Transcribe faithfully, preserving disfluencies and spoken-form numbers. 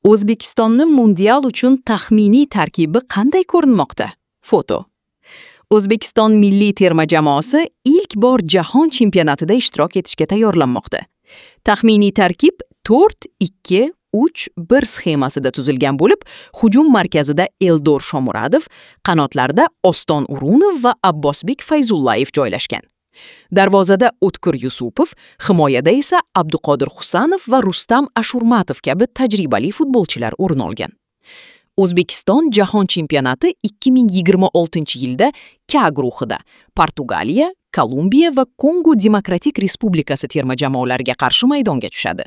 O'zbekistonni mundial uchun taxminiy tarkibi qanday ko'rinmoqda? Foto. O'zbekiston milliy terma jamoasi ilk bor jahon chempionatida ishtirok etishga tayyorlanmoqda. Taxminiy tarkib to'rt ikki uch bir sxemasida tuzilgan bo'lib, hujum markazida Eldor Shomuradov, qanotlarda Oston O'runov va Abbosbek Fayzullayev joylashgan. Darvozada O'tkir Yusupov, himoyada esa Abduqodir Husanov va Rustam Ashurmatov kabi tajribali futbolchilar o'rin olgan. O'zbekiston jahon chempionati ikki ming yigirma oltinchi yilda K guruhida Portugaliya, Kolumbiya va Kongo Demokratik Respublikasi terma jamoalariga qarshi maydonga tushadi.